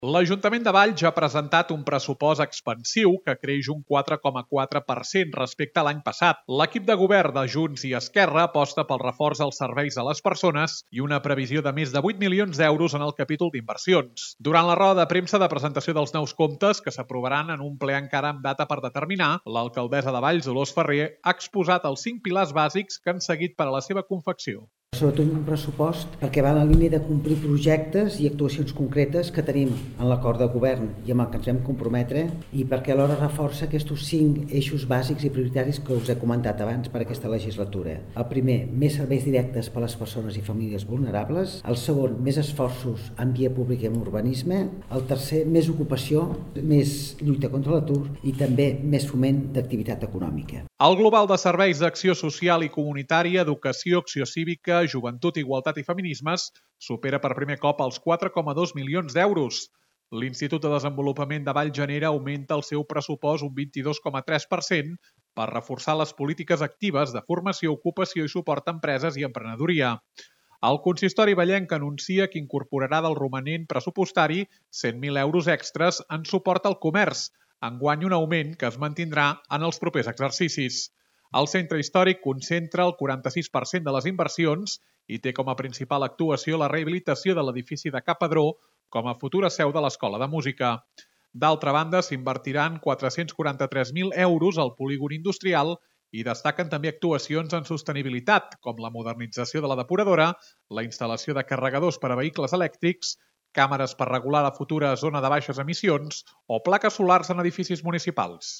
L'Ajuntament de Valls ha presentat un pressupost expansiu que creix un 4,4% respecte a l'any passat. L'equip de govern de Junts i Esquerra aposta pel reforç dels serveis a les persones i una previsió de més de 8 milions d'euros en el capítol d'inversions. Durant la roda de premsa de presentació dels nous comptes, que s'aprovaran en un ple encara amb data per determinar, l'alcaldessa de Valls, Dolors Ferrer, ha exposat els 5 pilars bàsics que han seguit per a la seva confecció. Sobretot un pressupost perquè va en la línia de complir projectes i actuacions concretes que tenim en l'acord de govern i amb el que ens vam comprometre, i perquè alhora reforça aquests 5 eixos bàsics i prioritaris que us he comentat abans per aquesta legislatura. El primer, més serveis directes per a les persones i famílies vulnerables. El segon, més esforços en via pública i en urbanisme. El tercer, més ocupació, més lluita contra l'atur i també més foment d'activitat econòmica. El global de serveis d'acció social i comunitària, educació, acció cívica, joventut, igualtat i feminismes supera per primer cop els 4,2 milions d'euros. L'Institut de Desenvolupament de Vallgenera augmenta el seu pressupost un 22,3% per reforçar les polítiques actives de formació, ocupació i suport a empreses i emprenedoria. El consistori vallenc anuncia que incorporarà del romanent pressupostari 100.000 euros extres en suport al comerç, enguany un augment que es mantindrà en els propers exercicis. El centre històric concentra el 46% de les inversions i té com a principal actuació la rehabilitació de l'edifici de Ca Padró com a futura seu de l'Escola de Música. D'altra banda, s'invertiran 443.000 euros al polígon industrial i destaquen també actuacions en sostenibilitat, com la modernització de la depuradora, la instal·lació de carregadors per a vehicles elèctrics, càmeres per regular la futura zona de baixes emissions o plaques solars en edificis municipals.